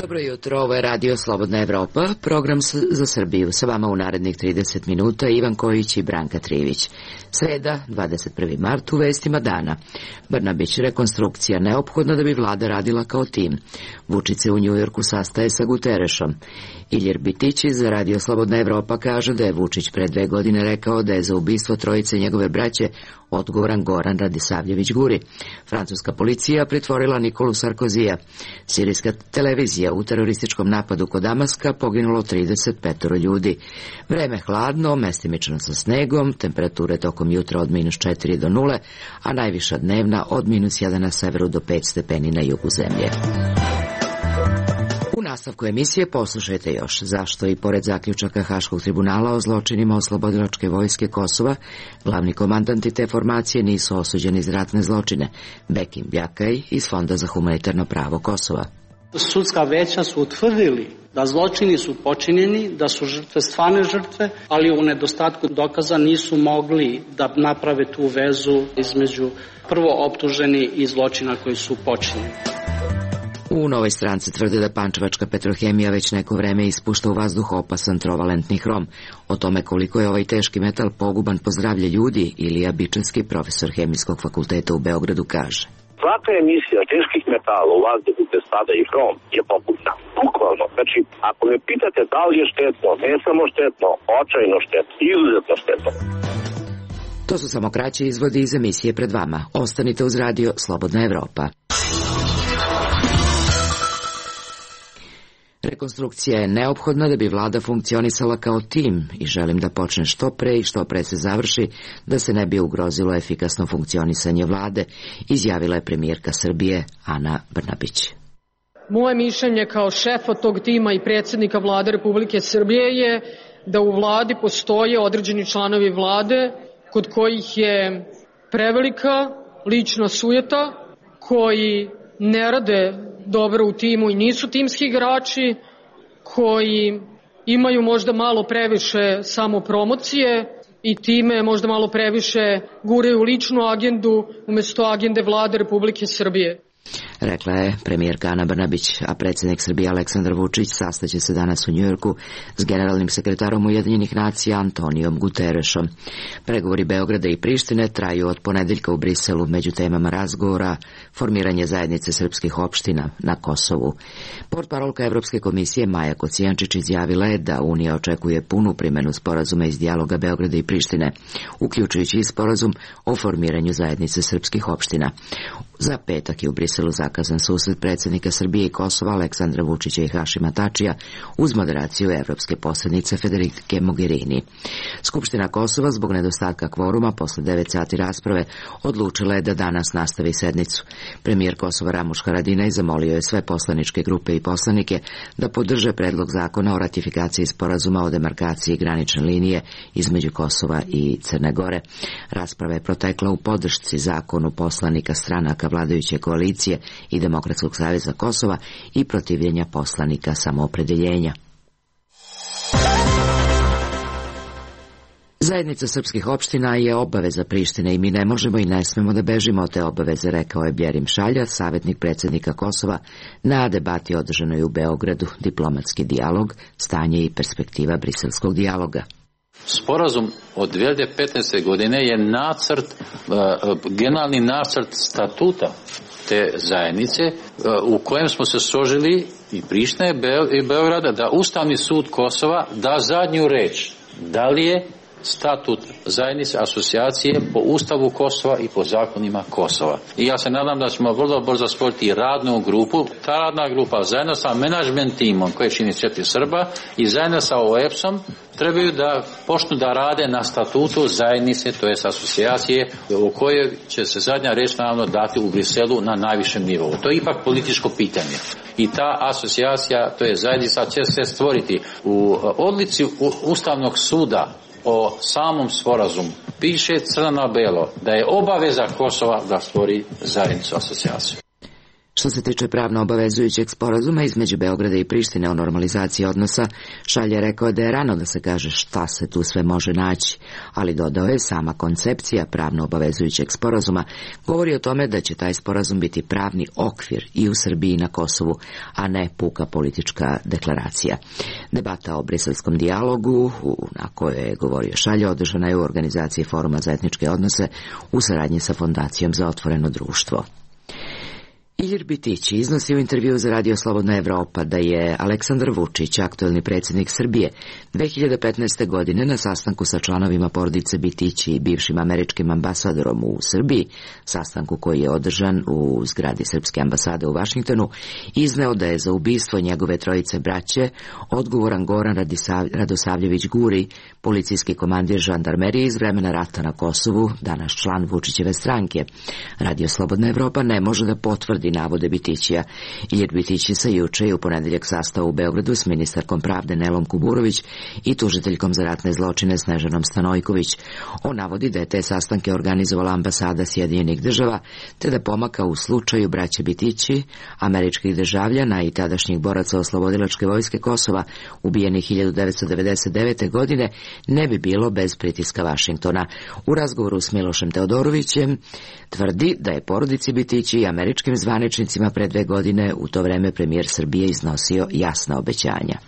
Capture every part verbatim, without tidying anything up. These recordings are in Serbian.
Dobro jutro, ovo je Radio Slobodna Evropa, program za Srbiju. Sa vama u narednih trideset minuta Ivan Kojić i Branka Trivić. Sreda, dvadeset prvi mart, u vestima dana. Brnabić, rekonstrukcija neophodna da bi vlada radila kao tim. Vučić se u Njujorku sastaje sa Guterešom. Iljer Bitići za Radio Slobodna Evropa kaže da je Vučić pre dve godine rekao da je za ubistvo trojice njegove braće odgovoran Goran Radisavljević Guri. Francuska policija pritvorila Nikolu Sarkozija. Sirijska televizija u terorističkom napadu kod Damaska poginulo trideset pet ljudi. Vreme hladno, mestimično sa snegom, temperature tokom jutra od minus četiri do nule, a najviša dnevna od minus jedan na severu do pet stepeni na jugu zemlje. U nastavku emisije poslušajte još zašto i pored zaključaka Haškog tribunala o zločinima oslobodilačke vojske Kosova, glavni komandanti te formacije nisu osuđeni za ratne zločine. Bekim Bjakaj iz Fonda za humanitarno pravo Kosova. Sudska veća su utvrdili da zločini su počinjeni, da su žrtve stvarne žrtve, ali u nedostatku dokaza nisu mogli da naprave tu vezu između prvo optuženi i zločina koji su počinjeni. U Novoj Stranci tvrde da pančevačka Petrohemija već neko vreme ispušta u vazduh opasan trovalentni hrom. O tome koliko je ovaj teški metal poguban po zdravlje ljudi, Ilija Bičanski, profesor Hemijskog fakulteta u Beogradu, kaže. Svaka emisija teških metala u vazduhu gde spada i hrom je pogubna. Bukvalno. Znači, ako me pitate da li je štetno, ne samo štetno, očajno štetno, izuzetno štetno. To su samo kraći izvodi iz emisije pred vama. Ostanite uz Radio Slobodna Evropa. Rekonstrukcija je neophodna da bi vlada funkcionisala kao tim i želim da počne što pre i što pre se završi, da se ne bi ugrozilo efikasno funkcionisanje vlade, izjavila je premijerka Srbije Ana Brnabić. Moje mišljenje kao šefa tog tima i predsjednika vlade Republike Srbije je da u vladi postoje određeni članovi vlade kod kojih je prevelika lična sujeta, koji ne rade dobro u timu i nisu timski igrači, koji imaju možda malo previše samopromocije i time možda malo previše guraju ličnu agendu umjesto agende vlade Republike Srbije. Rekla je premijerka Ana Brnabić, a predsjednik Srbije Aleksandar Vučić sastaće se danas u Njujorku s generalnim sekretarom Ujedinjenih nacija Antonijom Guterešom. Pregovori Beograda i Prištine traju od ponedeljka u Briselu, među temama razgovora formiranje zajednice srpskih opština na Kosovu. Portparolka Evropske komisije Maja Kocijančić izjavila je da Unija očekuje punu primjenu sporazuma iz dijaloga Beograda i Prištine, uključujući i sporazum o formiranju zajednice srpskih opština. Za petak je u Briselu zakazan susret predsjednika Srbije i Kosova Aleksandra Vučića i Hašima Tačija uz moderaciju evropske posrednice Federike Mogherini. Skupština Kosova zbog nedostatka kvoruma posle devet sati rasprave odlučila je da danas nastavi sednicu. Premijer Kosova Ramuš Haradinaj zamolio je sve poslaničke grupe i poslanike da podrže predlog zakona o ratifikaciji sporazuma o demarkaciji granične linije između Kosova i Crne Gore. Rasprava je protekla u podršci zakonu poslanika stranaka vladajuće koalicije i Demokratskog saveza Kosova i protivljenja poslanika samoopredeljenja. Zajednica srpskih opština je obaveza Prištine i mi ne možemo i ne smemo da bežimo od te obaveze, rekao je Bjerim Šalja, savjetnik predsjednika Kosova, na debati održanoj u Beogradu, diplomatski dijalog, stanje i perspektiva briselskog dijaloga. Sporazum od dvije hiljade petnaeste. godine je nacrt, generalni nacrt statuta te zajednice u kojem smo se složili i Prištine i Beograda da Ustavni sud Kosova da zadnju reč. Da li je statut zajednice asocijacije po Ustavu Kosova i po zakonima Kosova. I ja se nadam da ćemo vrlo brzo stvoriti radnu grupu. Ta radna grupa zajedno sa menadžment timom koje čini četiri Srba i zajedno sa O E P S-om trebaju da počnu da rade na statutu zajednice, to je asocijacije u kojoj će se zadnja reč naravno dati u Briselu na najvišem nivou. To je ipak političko pitanje. I ta asocijacija, to je zajednica, će se stvoriti u odluci Ustavnog suda o samom sporazumu. Piše crno na belo da je obaveza Kosova da stvori zajednicu asocijaciju. Što se tiče pravno obavezujućeg sporazuma između Beograda i Prištine o normalizaciji odnosa, Šalj je rekao da je rano da se kaže šta se tu sve može naći, ali dodao je sama koncepcija pravno obavezujućeg sporazuma govori o tome da će taj sporazum biti pravni okvir i u Srbiji i na Kosovu, a ne puka politička deklaracija. Debata o briselskom dijalogu, na kojoj je govorio Šalj, održana je u organizaciji Foruma za etničke odnose u saradnji sa Fondacijom za otvoreno društvo. Ilir Bitić iznosi u intervju za Radio Slobodna Evropa da je Aleksandar Vučić, aktuelni predsjednik Srbije, dve hiljade petnaeste. godine na sastanku sa članovima porodice Bitić i bivšim američkim ambasadorom u Srbiji, sastanku koji je održan u zgradi Srpske ambasade u Vašingtonu, izneo da je za ubistvo njegove trojice braće odgovoran Goran Radosavljević Guri, policijski komandir žandarmerije iz vremena rata na Kosovu, danas član Vučićeve stranke. Radio Slobodna Evropa ne može da potvrdi navode Bitićija. Ilir Bitić se juče i u ponedeljak sastao u Beogradu s ministarkom pravde Nelom Kuburović i tužiteljkom za ratne zločine Snežanom Stanojković. On navodi da je te sastanke organizovala ambasada Sjedinjenih država, te da pomaka u slučaju braće Bitići, američkih državljana i tadašnjih boraca oslobodilačke vojske Kosova, ubijenih hiljadu devetsto devedeset devete. godine, ne bi bilo bez pritiska Vašingtona. U razgovoru s Milošem Teodorovićem tvrdi da je porodici Bitići i američkim zvaničnicima pre dve godine u to vreme premijer Srbije iznosio jasna obećanja.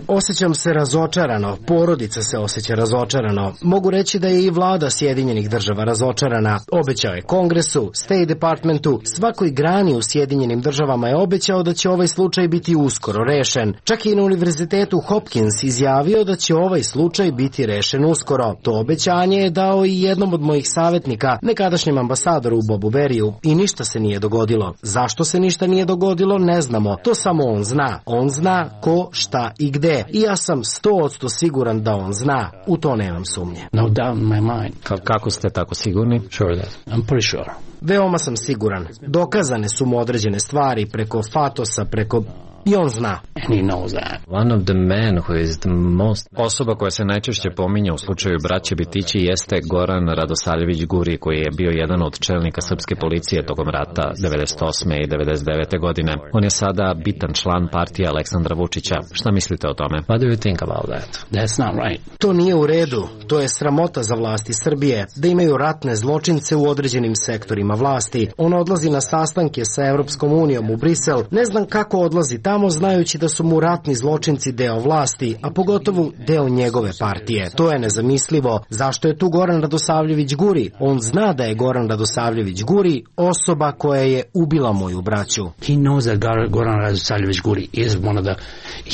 Osjećam se razočarano, porodica se osjeća razočarano. Mogu reći da je i vlada Sjedinjenih država razočarana. Obećao je Kongresu, State Departmentu, svakoj grani u Sjedinjenim državama je obećao da će ovaj slučaj biti uskoro rešen. Čak i na univerzitetu Hopkins izjavio da će ovaj slučaj biti rešen uskoro. To obećanje je dao i jednom od mojih savjetnika, nekadašnjem ambasadoru Bobu Beriju, i ništa se nije dogodilo. Zašto se ništa nije dogodilo, ne znamo. To samo on zna. On zna ko, šta i gde. I ja sam sto odsto siguran da on zna. U to nemam sumnje. No doubt in my mind. Ka kako ste tako sigurni? Sure that. I'm pretty sure. Veoma sam siguran. Dokazane su mu određene stvari preko Fatosa, preko... I on zna. And he knows that. One of the men who is the most... Osoba koja se najčešće pominje u slučaju braće Bitići jeste Goran Radosavljević Guri, koji je bio jedan od čelnika srpske policije tokom rata devedeset osme i devedeset devete. godine. On je sada bitan član partije Aleksandra Vučića. Šta mislite o tome? What do you think about that? That's not right. To nije u redu. To je sramota za vlasti Srbije, da imaju ratne zločince u određenim sektorima vlasti. On odlazi na sastanke sa Evropskom unijom u Brisel. Ne znam kako odlazi tamo znajući da su mu ratni zločinci deo vlasti, a pogotovo deo njegove partije. To je nezamislivo. Zašto je tu Goran Radosavljević Guri? On zna da je Goran Radosavljević Guri osoba koja je ubila moju braću. He knows that Goran Radosavljević Guri is one of the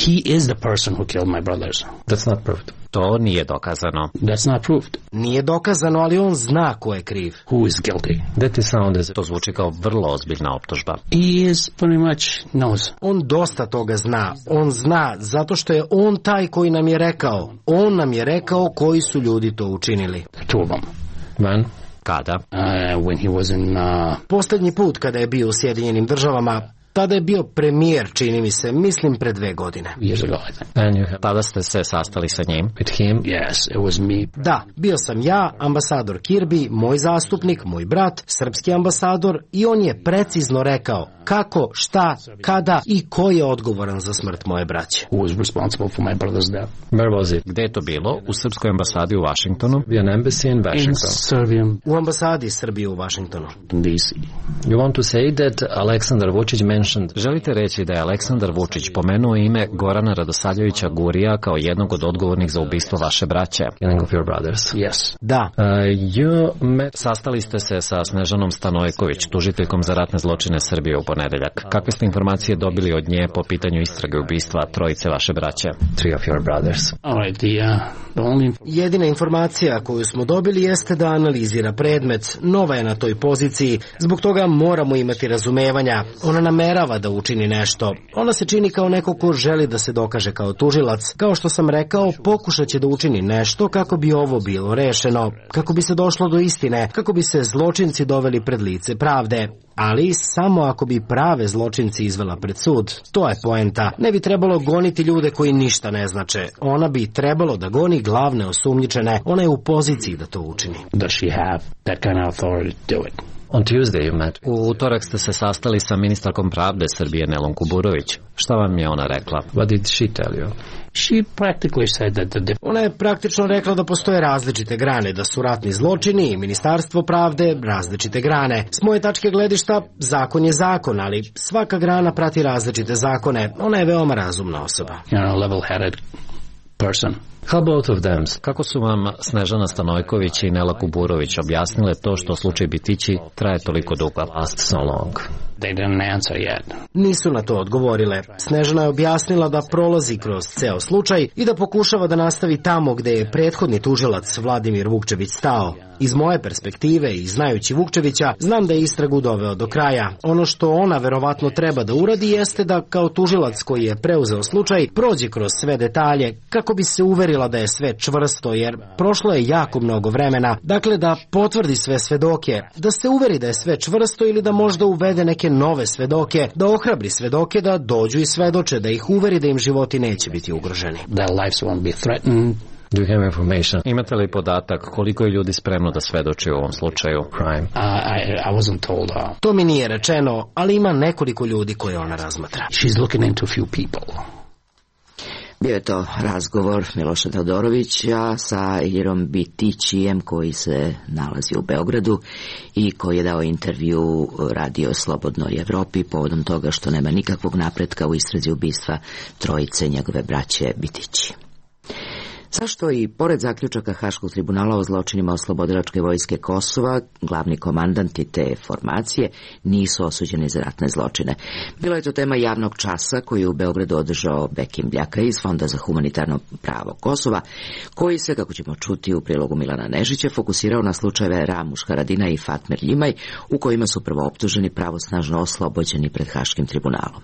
he is the person who killed my brothers. That's not proved. To nije dokazano. That's not proved. Nije dokazano, ali on zna ko je kriv. Who is guilty? That is sound as... To zvuči kao vrlo ozbiljna optužba. He is pretty much knows. On dosta toga zna. On zna zato što je on taj koji nam je rekao. On nam je rekao koji su ljudi to učinili. The two of them. When? Kada? Uh, when he was in... Uh... Poslednji put kada je bio u Sjedinjenim državama, tada je bio premijer, čini mi se, mislim pre dve godine. Years ago, I think. And you have... Tada ste se sastali sa njim? With him? Yes, it was me. Da, bio sam ja, ambasador Kirby, moj zastupnik, moj brat, srpski ambasador, i on je precizno rekao kako, šta, kada i ko je odgovoran za smrt moje braće. Who was responsible for my brother's death? Where was it? Gde je to bilo? U srpskoj ambasadi u Washingtonu? An embassy in Washington. In Serbian. U ambasadi Srbije u Washingtonu. D C. You want to say that Aleksandar Vučić mentioned... Želite reći da je Aleksandar Vučić pomenuo ime Gorana Radosavljevića Gurija kao jednog od odgovornih za ubistvo vaše braće? Killing of your brothers. Yes. Da. Uh, you met... Sastali ste se sa Snežanom Stanojković, tužiteljkom za ratne zločine Srbije u ponedeljak. Kakve ste informacije dobili od nje po pitanju istrage ubistva trojice vaše braće? Three of your brothers. All right, the, uh, the only... Jedina informacija koju smo dobili jeste da analizira predmet. Nova je na toj poziciji, zbog toga moramo imati razumevanja. Ona namerava da učini nešto. Ona se čini kao neko ko želi da se dokaže kao tužilac. Kao što sam rekao, pokušat će da učini nešto kako bi ovo bilo rešeno, kako bi se došlo do istine, kako bi se zločinci doveli pred lice pravde. Ali samo ako bi prave zločinci izvela pred sud. To je poenta. Ne bi trebalo goniti ljude koji ništa ne znače. Ona bi trebalo da goni glavne osumnjičene. Ona je u poziciji da to učini. Does she have that kind of authority to do it? On Tuesday you met. U utorak ste se sastali sa ministarkom pravde Srbije Nelom Kuburović. Šta vam je ona rekla? What did she tell you? She practically said that the... Ona je praktično rekla da postoje različite grane, da su ratni zločini i ministarstvo pravde različite grane. S moje tačke gledišta, zakon je zakon, ali svaka grana prati različite zakone. Ona je veoma razumna osoba. You know, level-headed person. How both of them? Kako su vam Snežana Stanojković i Nela Kuburović objasnile to što slučaj Bitići traje toliko dugo? Last so long. They didn't answer yet. Nisu na to odgovorile. Snežana je objasnila da prolazi kroz ceo slučaj i da pokušava da nastavi tamo gde je prethodni tužilac Vladimir Vukčević stao. Iz moje perspektive i znajući Vukčevića, znam da je istragu doveo do kraja. Ono što ona verovatno treba da uradi jeste da kao tužilac koji je preuzeo slučaj prođe kroz sve detalje kako bi se uverila da je sve čvrsto, jer prošlo je jako mnogo vremena. Dakle, da potvrdi sve svedoke, da se uveri da je sve čvrsto ili da možda uvede neke nove svedoke, da ohrabri svedoke da dođu i svedoče, da ih uveri da im životi neće biti ugroženi. Their lives won't be threatened. Do you have information? Imate li podatak koliko je ljudi spremno da svedoči u ovom slučaju? Crime. Uh, I, I wasn't told her. To mi nije rečeno, ali ima nekoliko ljudi koje ona razmatra. She's looking into a few people. Bio je to razgovor Miloša Teodorovića sa Iljirom Bitićijem koji se nalazi u Beogradu i koji je dao intervju Radio Slobodnoj Evropi povodom toga što nema nikakvog napretka u istrazi ubistva trojice njegove braće Bitići. Zašto i pored zaključaka Haškog tribunala o zločinima oslobodilačke vojske Kosova, glavni komandanti te formacije nisu osuđeni za ratne zločine? Bila je to tema javnog časa koji je u Beogradu održao Bekim Bljaka iz Fonda za humanitarno pravo Kosova, koji se, kako ćemo čuti u prilogu Milana Nežića, fokusirao na slučajeve Ramuš Haradinaj i Fatmir Ljimaj, u kojima su prvo optuženi pravosnažno oslobođeni pred Haškim tribunalom.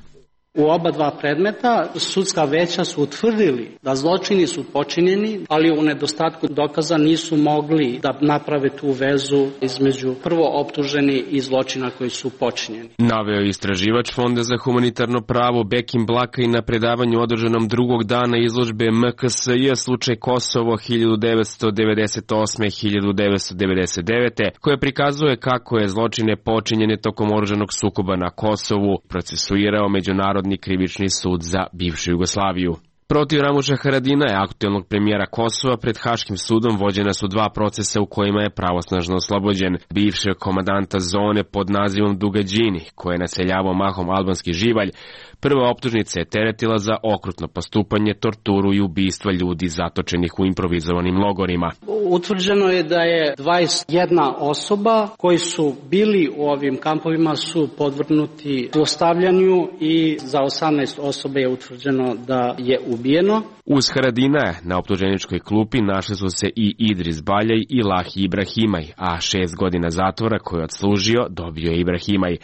U oba dva predmeta sudska veća su utvrdili da zločini su počinjeni, ali u nedostatku dokaza nisu mogli da naprave tu vezu između prvo optuženi i zločina koji su počinjeni. Naveo je istraživač Fonda za humanitarno pravo Bekim Blaka i na predavanju održanom drugog dana izložbe M K S J slučaj Kosovo hiljadu devetsto devedeset osme do hiljadu devetsto devedeset devete koje prikazuje kako je zločine počinjene tokom oružanog sukoba na Kosovu procesuirao Međunarodni krivični sud za bivšu Jugoslaviju. Protiv Ramuša Haradinaja, aktuelnog premijera Kosova, pred Haškim sudom vođena su dva procesa u kojima je pravosnažno oslobođen bivšeg komandanta zone pod nazivom Dugađini, koje je naseljavao mahom albanski živalj. Prva optužnica je teretila za okrutno postupanje, torturu i ubistva ljudi zatočenih u improvizovanim logorima. Utvrđeno je da je dvadeset jedna osoba koji su bili u ovim kampovima su podvrgnuti zlostavljanju i za osamnaest osoba je utvrđeno da je ubijeno. Uz Haradinaja na optuženičkoj klupi našli su se i Idris Baljaj i Lahi Ibrahimaj, a šest godina zatvora koje je odslužio dobio je Ibrahimaj.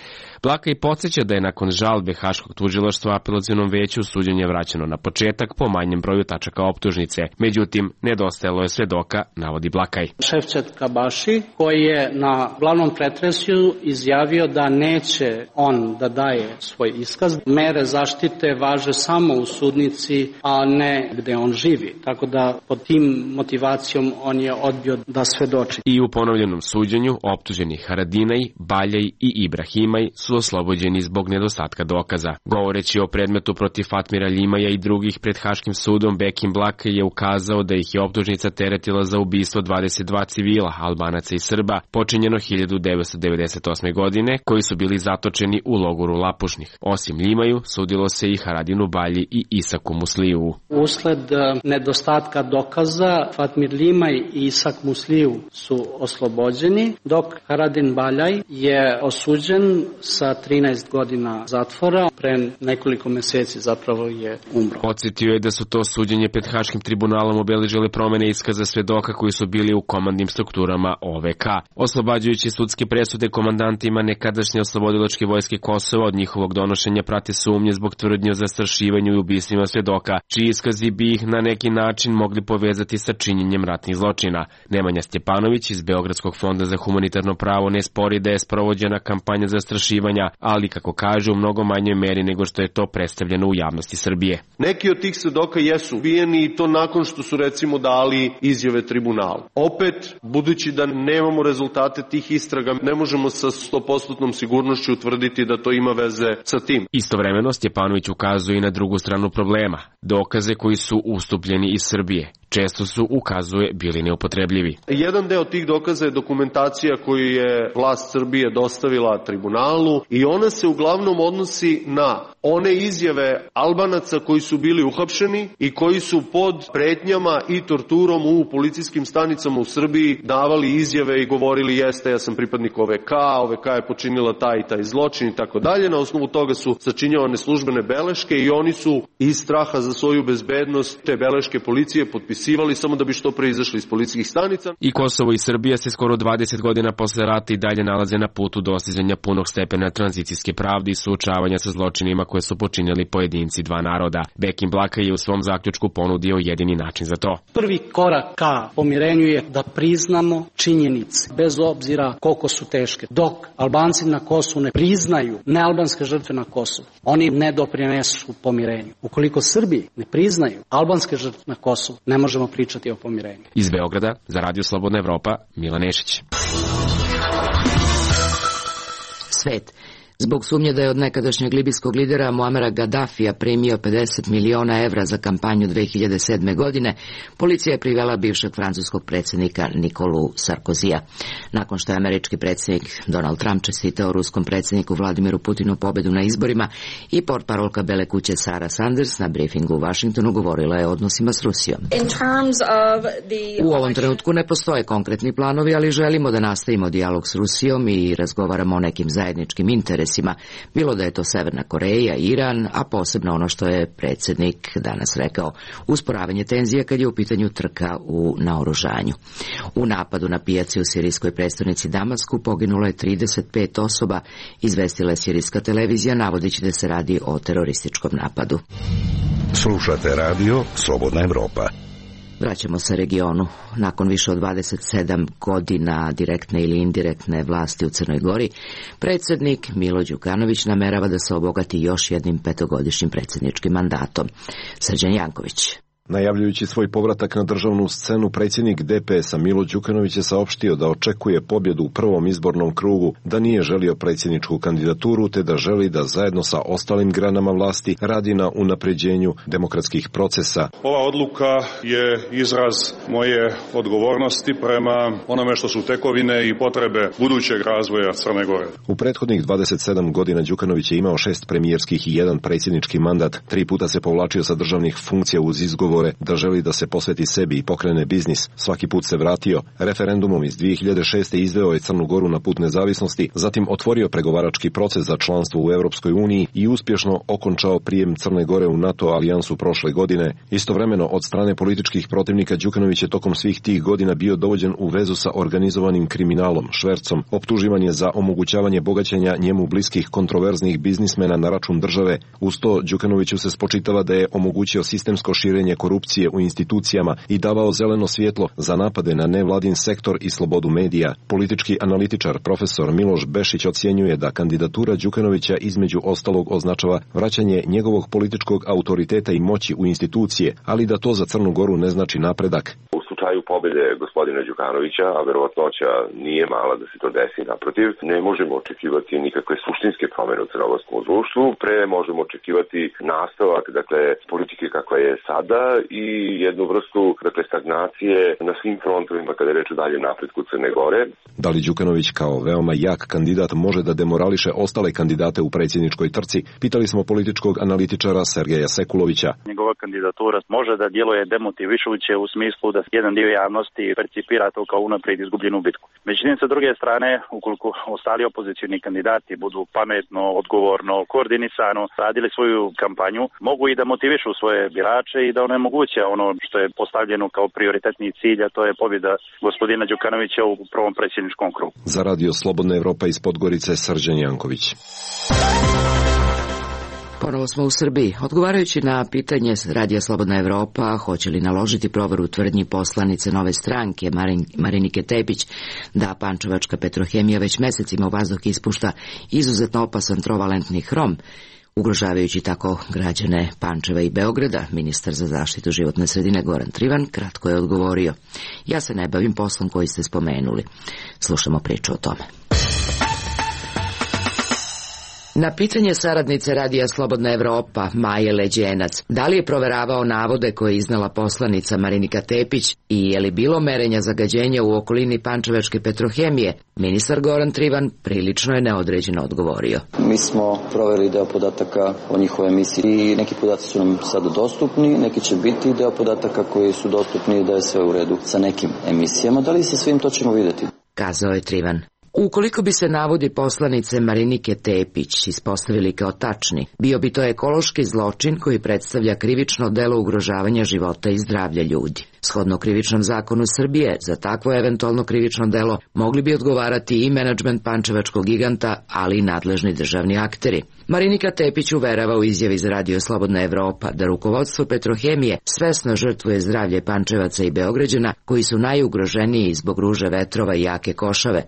Blaka i podsjeća da je nakon žalbe Haškog tužilaštva apelacionom veću suđenje vraćeno na početak po manjem broju tačaka optužnice. Međutim, nedostajalo je svedoka, navodi Blakaj. Šefčet Kabaši, koji je na glavnom pretresu izjavio da neće on da daje svoj iskaz. Mere zaštite važe samo u sudnici, a ne gde on živi. Tako da pod tim motivacijom on je odbio da svedoči. I u ponovljenom suđenju optuženi Haradinaj, Baljaj i Ibrahimaj su oslobođeni zbog nedostatka dokaza. Govoreći o predmetu protiv Fatmira Ljimaja i drugih pred Haškim sudom, Bekim Blaka je ukazao da ih je optužnica teretila za ubistvo dvadeset dva civila, Albanaca i Srba, počinjeno hiljadu devetsto devedeset osme godine, koji su bili zatočeni u logoru Lapušnih. Osim Ljimaju, sudilo se i Haradinu Balji i Isaku Musliju. Usled nedostatka dokaza, Fatmir Ljimaj i Isak Musliju su oslobođeni, dok Haradin Baljaj je osuđen sa trinaest godina zatvora. Pre nekoliko meseci zapravo je umro. Podsjetio je da su to suđenje pred Haškim tribunalom obeležile promene iskaza svedoka koji su bili u komandnim strukturama O V K. Oslobađajući sudske presude komandantima nekadašnje oslobodilačke vojske Kosova od njihovog donošenja prate sumnje zbog tvrdnje o zastrašivanju i ubistvima svedoka, medija, čiji iskazi bi ih na neki način mogli povezati sa činjenjem ratnih zločina. Nemanja Stjepanović iz Beogradskog fonda za humanitarno pravo ne spori da je sprovođena kampanja zastrašivanja, ali kako kaže u mnogo manjoj meri nego što je to predstavljeno u javnosti Srbije. Neki od tih svedoka jesu ubijeni i to nakon što su recimo dali izjave tribunalu. Opet, budući da nemamo rezultate tih istraga, ne možemo sa sto posto sigurnošću utvrditi da to ima veze sa tim. Istovremeno Stjepanović ukazuje i na drugu stranu problema, dokaze koji su ustupljeni iz Srbije. Često su, ukazuje, bili neupotrebljivi. Jedan deo tih dokaza je dokumentacija koju je vlast Srbije dostavila tribunalu i ona se uglavnom odnosi na one izjave Albanaca koji su bili uhapšeni i koji su pod pretnjama i torturom u policijskim stanicama u Srbiji davali izjave i govorili jeste, ja sam pripadnik O V K, O V K je počinila taj i taj zločin i tako dalje. Na osnovu toga su sačinjavane službene beleške i oni su iz straha za svoju bezbednost te beleške policije potpisali samo da bi što pre izašli iz policijskih stanica. I Kosovo i Srbija se skoro dvadeset godina posle rata i dalje nalaze na putu dostizanja punog stepena tranzicijske pravde i suočavanja sa zločinima koje su počinili pojedinci dva naroda. Bekim Blaka je u svom zaključku ponudio jedini način za to. Prvi korak ka pomirenju je da priznamo činjenice, bez obzira koliko su teške. Dok Albanci na Kosovu ne priznaju nealbanske žrtve na Kosovu, oni ne doprinesu pomirenju. Ukoliko Srbi ne priznaju albanske žrtve na Kosovu, ne možemo pričati o pomirenju. Iz Beograda, za Radio Slobodna Evropa, Milan Nešić. Svet. Zbog sumnje da je od nekadašnjeg libijskog lidera Muamera Gaddafija primio pedeset miliona evra za kampanju dve hiljade sedme. godine, policija je privela bivšeg francuskog predsjednika Nikolu Sarkozija. Nakon što je američki predsjednik Donald Trump čestitao ruskom predsjedniku Vladimiru Putinu pobedu na izborima i portparolka Bele kuće Sara Sanders na briefingu u Vašingtonu govorila je o odnosima s Rusijom. U ovom trenutku ne postoje konkretni planovi, ali želimo da nastavimo dijalog s Rusijom i razgovaramo o nekim zajedničkim interesima. Bilo da je to Severna Koreja, Iran, a posebno ono što je predsjednik danas rekao, usporavanje tenzija kad je u pitanju trka u naoružanju. U napadu na pijaci u sirijskoj prestonici Damasku poginulo je trideset pet osoba, izvestila je sirijska televizija navodeći da se radi o terorističkom napadu. Slušate radio Slobodna Evropa. Vraćamo se regionu. Nakon više od dvadeset sedam godina direktne ili indirektne vlasti u Crnoj Gori, predsjednik Milo Đukanović namerava da se obogati još jednim petogodišnjim predsjedničkim mandatom. Srđan Janković. Najavljujući svoj povratak na državnu scenu, predsjednik D P S-a Milo Đukanović je saopštio da očekuje pobjedu u prvom izbornom krugu, da nije želio predsjedničku kandidaturu, te da želi da zajedno sa ostalim granama vlasti radi na unapređenju demokratskih procesa. Ova odluka je izraz moje odgovornosti prema onome što su tekovine i potrebe budućeg razvoja Crne Gore. U prethodnih dvadeset sedam godina Đukanović je imao šest premijerskih i jedan predsjednički mandat. Tri puta se povlačio sa državnih funkcija uz izgovor da želi da se posveti sebi i pokrene biznis. Svaki put se vratio. Referendumom iz dve hiljade šeste. izveo je Crnu Goru na put nezavisnosti, zatim otvorio pregovarački proces za članstvo u Europskoj uniji i uspješno okončao prijem Crne Gore u NATO alijansu prošle godine. Istovremeno, od strane političkih protivnika Đukanović je tokom svih tih godina bio dovođen u vezu sa organizovanim kriminalom, švercom. Optuživan je za omogućavanje bogaćenja njemu bliskih kontroverznih biznismena na račun države. Uz to, Đukanoviću se spočitava da je omogućio sistemsko širenje korupcije u institucijama i davao zeleno svjetlo za napade na nevladin sektor i slobodu medija. Politički analitičar profesor Miloš Bešić ocjenjuje da kandidatura Đukanovića između ostalog označava vraćanje njegovog političkog autoriteta i moći u institucije, ali da to za Crnu Goru ne znači napredak. U slučaju pobjede gospodina Đukanovića, a verovatnoća nije mala da se to desi, naprotiv, ne možemo očekivati nikakve suštinske promjene u crnogorskom društvu, pre možemo očekivati nastavak, dakle, politike kakva je sada i jednu vrstu, dakle, stagnacije na svim frontovima kada je reč o daljem napretku Crne Gore. Da li Đukanović kao veoma jak kandidat može da demorališe ostale kandidate u predsjedničkoj trci? Pitali smo političkog analitičara Sergeja Sekulovića. Njegova kandidatura može da djeluje demotivišuće u smislu da jedan dio javnosti percipira to kao unaprijed izgubljenu bitku. Međutim, sa druge strane, ukoliko ostali opozicioni kandidati budu pametno, odgovorno, koordinisano radili svoju kampanju, mogu i da motivišu svoje birače i da onemoguće ono što je postavljeno kao prioritetni cilj, a to je pobjeda gospodina Đukanovića u prvom predsjedničkom krugu. Za radio Slobodna Evropa iz Podgorice, Srđan Janković. Ponovo smo u Srbiji. Odgovarajući na pitanje Radija Slobodna Evropa hoće li naložiti proveru tvrdnji poslanice Nove stranke Marin, Marinike Tepić da pančevačka Petrohemija već mesecima u vazduh ispušta izuzetno opasan trovalentni hrom, ugrožavajući tako građane Pančeva i Beograda, ministar za zaštitu životne sredine Goran Trivan kratko je odgovorio: ja se ne bavim poslom koji ste spomenuli. Slušamo priču o tome. Na pitanje saradnice Radija Slobodna Evropa, Maje Leđenac, da li je proveravao navode koje je iznela poslanica Marinika Tepić i je li bilo merenja zagađenja u okolini pančevačke Petrohemije, ministar Goran Trivan prilično je neodređeno odgovorio. Mi smo proverili deo podataka o njihovoj emisiji i neki podaci su nam sada dostupni, neki će biti deo podataka koji su dostupni da je sve u redu sa nekim emisijama. Da li sa svim, to ćemo vidjeti, kazao je Trivan. Ukoliko bi se navodi poslanice Marinike Tepić ispostavili kao tačni, bio bi to ekološki zločin koji predstavlja krivično delo ugrožavanja života i zdravlja ljudi. Shodno krivičnom zakonu Srbije, za takvo eventualno krivično delo mogli bi odgovarati i menadžment pančevačkog giganta, ali i nadležni državni akteri. Marinika Tepić uverava u izjavi za Radio Slobodna Evropa da rukovodstvo Petrohemije svesno žrtvuje zdravlje Pančevaca i Beograđana koji su najugroženiji zbog ruže vetrova i jake košave.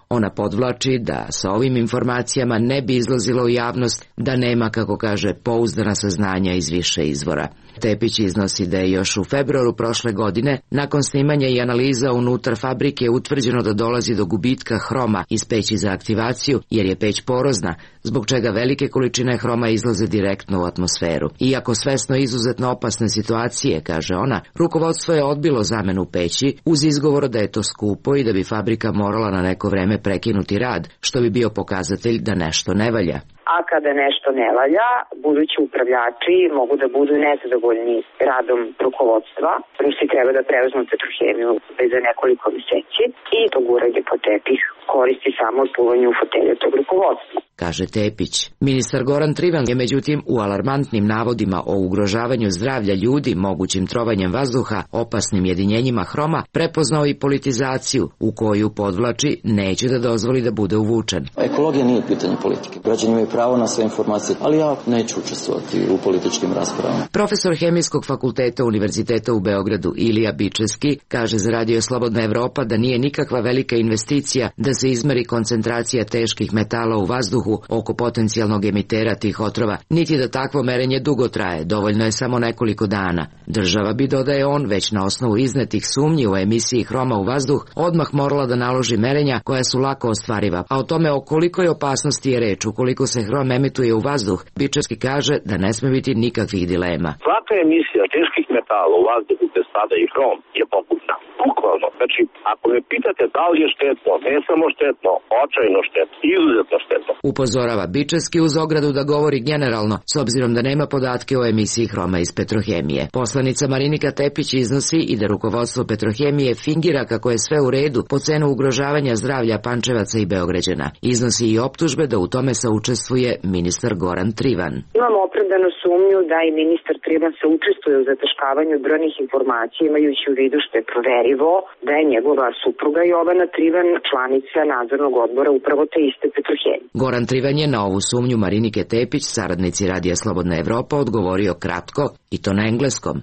Ona podvlači da sa ovim informacijama ne bi izlazilo u javnost da nema, kako kaže, pouzdana saznanja iz više izvora. Tepić iznosi da je još u februaru prošle godine, nakon snimanja i analiza unutar fabrike, utvrđeno da dolazi do gubitka hroma iz peći za aktivaciju, jer je peć porozna, zbog čega velike količine hroma izlaze direktno u atmosferu. Iako svesno izuzetno opasne situacije, kaže ona, rukovodstvo je odbilo zamenu peći uz izgovor da je to skupo i da bi fabrika morala na neko vreme prekinuti rad, što bi bio pokazatelj da nešto ne valja. A kada nešto ne valja, budući upravljači mogu da budu nezadovoljni radom rukovodstva, Rusi treba da preuzmu Petrohemiju za nekoliko meseci i to guranje po tepih koristi samo sluvanju fotelje tog rukovodstva, kaže Tepić. Ministar Goran Trivan je međutim u alarmantnim navodima o ugrožavanju zdravlja ljudi mogućim trovanjem vazduha, opasnim jedinjenjima hroma, prepoznao i politizaciju u koju, podvlači, neće da dozvoli da bude uvučen. Ekologija nije pitanje politike. Građani imaju pravo na sve informacije, ali ja neću učestvovati u političkim raspravama. Profesor Hemijskog fakulteta Univerziteta u Beogradu Ilija Bičevski kaže za Radio Slobodna Evropa da nije nikakva velika investicija da se izmeri koncentracija teških metala u vazduhu oko potencijalnog emitera tih otrova, niti da takvo merenje dugo traje, dovoljno je samo nekoliko dana. Država bi, dodaje on, već na osnovu iznetih sumnji u emisiji hroma u vazduh, odmah morala da naloži merenja koja su lako ostvariva, a o tome o kolikoj opasnosti je reč ukoliko se hrom emituje u vazduh, Bičevski kaže da ne sme biti nikakvih dilema. Svaka emisija teških metala u vazduhu gde spada i hrom je pogubna. Bukvalno. Znači, ako me pitate da li je štetno, ne samo štetno, očajno štetno, izuzetno štetno. Upozorava Bičevski uz ogradu da govori generalno, s obzirom da nema podatke o emisiji hroma iz Petrohemije. Poslanica Marinika Tepić iznosi i da rukovodstvo Petrohemije fingira kako je sve u redu po cenu ugrožavanja zdravlja Pančevaca i Beograđana. Iznosi i optužbe da u tome saučestvuje ministar Goran Trivan. Imamo opravdanu sumnju da i ministar Trivan se učestvuje u zataškavanju brojnih informacija, imajući u vidu što je proverivo da je njegova supruga Jovana Trivan članica nadzornog odbora upravo te iste Petrohemije. Goran Trivan je na ovu sumnju Marinike Tepić, saradnici Radija Slobodna Evropa, odgovorio kratko i to na engleskom.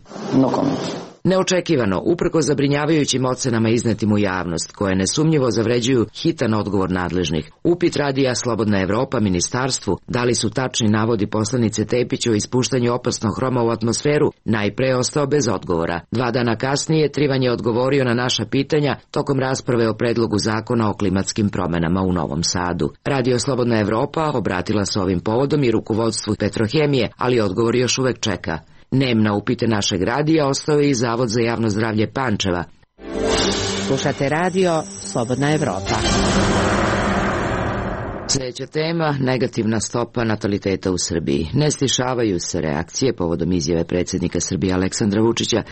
No comment. Neočekivano, uprko zabrinjavajućim ocenama iznetim u javnost, koje nesumnjivo zavređuju hitan odgovor nadležnih, upit Radija Slobodna Evropa ministarstvu da li su tačni navodi poslanice Tepić o ispuštanju opasnog hroma u atmosferu najpre ostao bez odgovora. Dva dana kasnije Trivan je odgovorio na naša pitanja tokom rasprave o predlogu zakona o klimatskim promenama u Novom Sadu. Radio Slobodna Evropa obratila se ovim povodom i rukovodstvu Petrohemije, ali odgovor još uvek čeka. Nem na upite našeg radija ostao je i Zavod za javno zdravlje Pančeva. Slušate radio Slobodna Evropa. Sljedeća tema, negativna stopa nataliteta u Srbiji. Ne stišavaju se reakcije povodom izjave predsjednika Srbije Aleksandra Vučića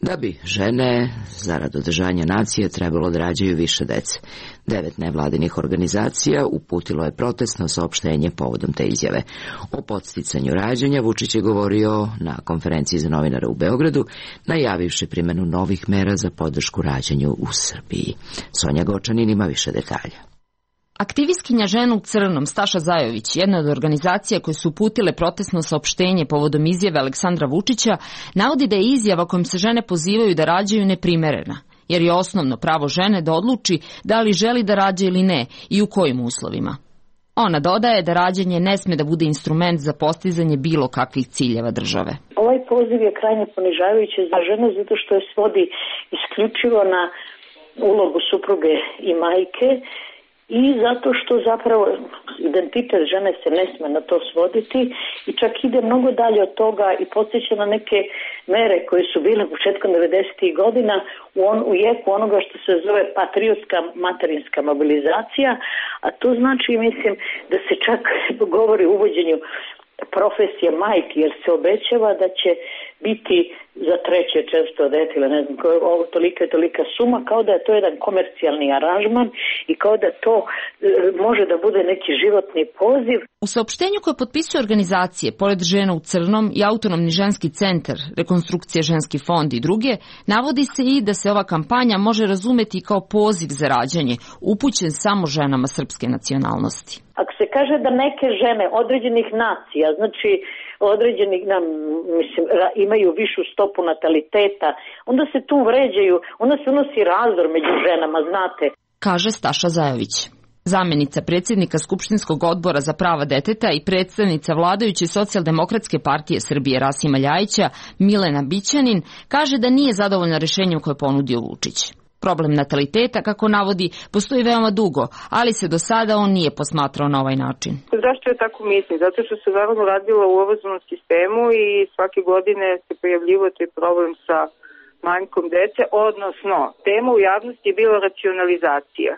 da bi žene, zarad održanja nacije, trebalo da rađaju više dece. Devet nevladinih organizacija uputilo je protestno saopštenje povodom te izjave. O podsticanju rađanja Vučić je govorio na konferenciji za novinare u Beogradu, najavivši primjenu novih mera za podršku rađanju u Srbiji. Sonja Gočanin ima više detalja. Aktivistkinja Žena u crnom Staša Zajović, jedna od organizacija koje su uputile protestno saopštenje povodom izjave Aleksandra Vučića, navodi da je izjava kojom se žene pozivaju da rađaju neprimerena, jer je osnovno pravo žene da odluči da li želi da rađa ili ne i u kojim uslovima. Ona dodaje da rađanje ne sme da bude instrument za postizanje bilo kakvih ciljeva države. Ovaj poziv je krajnje ponižavajući za žene zato što je svodi isključivo na ulogu supruge i majke i zato što zapravo identitet žene se ne sme na to svoditi i čak ide mnogo dalje od toga i podsjeća na neke mere koje su bile početkom devedesetih godina u, on, u jeku onoga što se zove patriotska materinska mobilizacija, a to znači, mislim, da se čak govori o uvođenju profesije majke, jer se obećava da će biti za treće, četvrto dete ili ne znam, ovo tolika i tolika suma, kao da je to jedan komercijalni aranžman i kao da to e, može da bude neki životni poziv. U saopštenju koje potpisuju organizacije, pored Žena u crnom i Autonomni ženski centar, Rekonstrukcija ženski fond i druge, navodi se i da se ova kampanja može razumeti kao poziv za rađanje, upućen samo ženama srpske nacionalnosti. Ako se kaže da neke žene određenih nacija, znači određenih, nam, mislim, imaju višu stopu nataliteta, onda se tu vređaju, onda se unosi razdor među ženama, znate. Kaže Staša Zajović. Zamenica predsjednika Skupštinskog odbora za prava deteta i predstavnica vladajuće Socijaldemokratske partije Srbije Rasima Ljajića, Milena Bićanin, kaže da nije zadovoljna rešenjem koje ponudio Vučić. Problem nataliteta, kako navodi, postoji veoma dugo, ali se do sada on nije posmatrao na ovaj način. Zašto je tako mislim? Zato što se naravno radilo u obrazovnom sistemu i svake godine se pojavljivo taj problem sa manjkom dece, odnosno tema u javnosti je bila racionalizacija.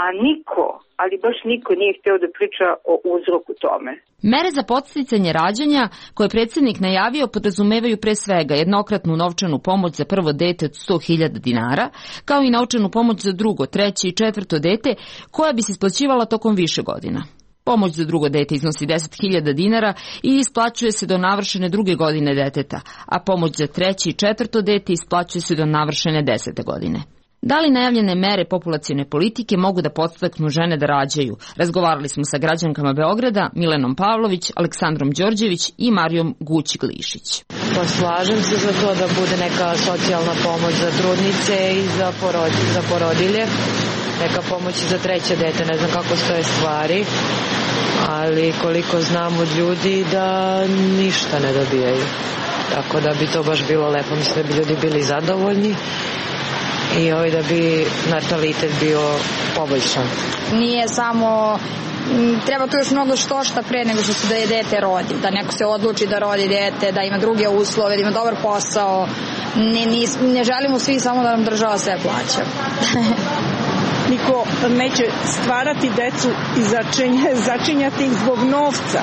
A niko, ali baš niko nije hteo da priča o uzroku tome. Mere za podsticanje rađanja koje je predsjednik najavio podrazumevaju pre svega jednokratnu novčanu pomoć za prvo dete od sto hiljada dinara, kao i novčanu pomoć za drugo, treće i četvrto dete koja bi se isplaćivala tokom više godina. Pomoć za drugo dete iznosi deset hiljada dinara i isplaćuje se do navršene druge godine deteta, a pomoć za treće i četvrto dete isplaćuje se do navršene desete godine. Da li najavljene mere populacione politike mogu da podstaknu žene da rađaju? Razgovarali smo sa građankama Beograda, Milenom Pavlović, Aleksandrom Đorđević i Marijom Guć-Glišić. Pa slažem se za to da bude neka socijalna pomoć za trudnice i za, porod, za porodilje, neka pomoć za treće dete, ne znam kako stoje stvari, ali koliko znam od ljudi da ništa ne dobijaju. Tako da bi to baš bilo lepo, mislim da bi ljudi bili zadovoljni i ovaj da bi natalitet bio poboljšan. Nije samo, treba tu još mnogo što šta pre nego što se da je dete rodi, da neko se odluči da rodi dete, da ima druge uslove, da ima dobar posao. Ne, ne, ne želimo svi samo da nam država sve plaća. Niko neće stvarati decu i začinja, začinjati ih zbog novca.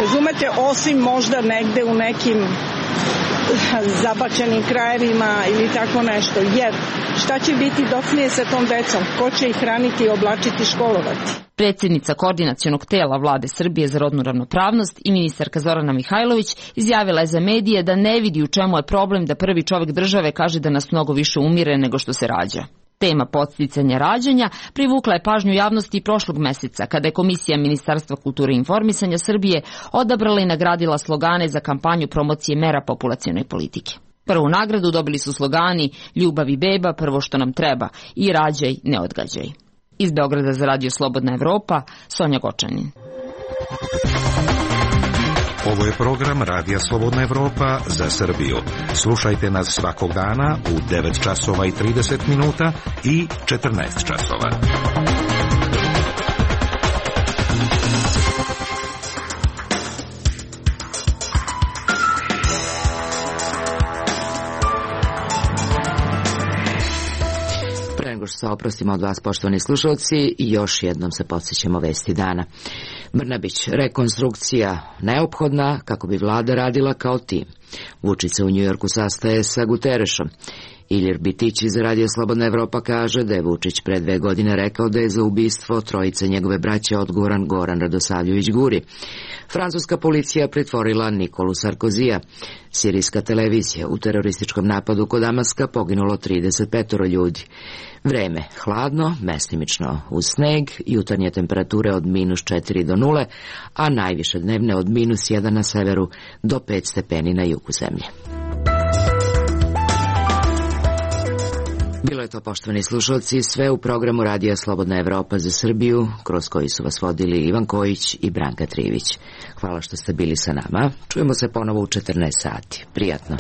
Razumete, osim možda negde u nekim zabačenim krajevima ili tako nešto, jer šta će biti docnije sa tom decom, ko će ih hraniti, oblačiti, školovati? Predsjednica koordinacionog tela Vlade Srbije za rodnu ravnopravnost i ministarka Zorana Mihajlović izjavila je za medije da ne vidi u čemu je problem da prvi čovjek države kaže da nas mnogo više umire nego što se rađa. Tema podsticanja rađanja privukla je pažnju javnosti prošlog meseca, kada je Komisija Ministarstva kulture i informisanja Srbije odabrala i nagradila slogane za kampanju promocije mera populacione politike. Prvu nagradu dobili su slogani Ljubav i beba, prvo što nam treba i Rađaj, ne odgađaj. Iz Beograda za Radio Slobodna Evropa, Sonja Gočanin. Ovo je program Radija Slobodna Evropa za Srbiju. Slušajte nas svakog dana u devet časova i trideset minuta i četrnaest časova. Pre nego što se oprostimo od vas, poštovani slušalci, još jednom se podsjećamo vesti dana. Brnabić, rekonstrukcija neophodna kako bi vlada radila kao tim. Vučić se u Njujorku sastaje sa Guterešom. Ilir Bitić iz Radio Slobodna Evropa kaže da je Vučić pre dve godine rekao da je za ubistvo trojice njegove braće odgovoran Goran Radosavljević Guri. Francuska policija pritvorila Nikolu Sarkozija. Sirijska televizija: u terorističkom napadu kod Damaska poginulo trideset pet ljudi. Vreme hladno, mestimično uz sneg, jutarnje temperature od minus četiri do nule, a najviše dnevne od minus jedan na severu do pet stepeni na jugu zemlje. Bilo je to, poštovani slušalci, sve u programu Radija Slobodna Evropa za Srbiju, kroz koji su vas vodili Ivan Kojić i Branka Trivić. Hvala što ste bili sa nama. Čujemo se ponovo u četrnaest sati. Prijatno.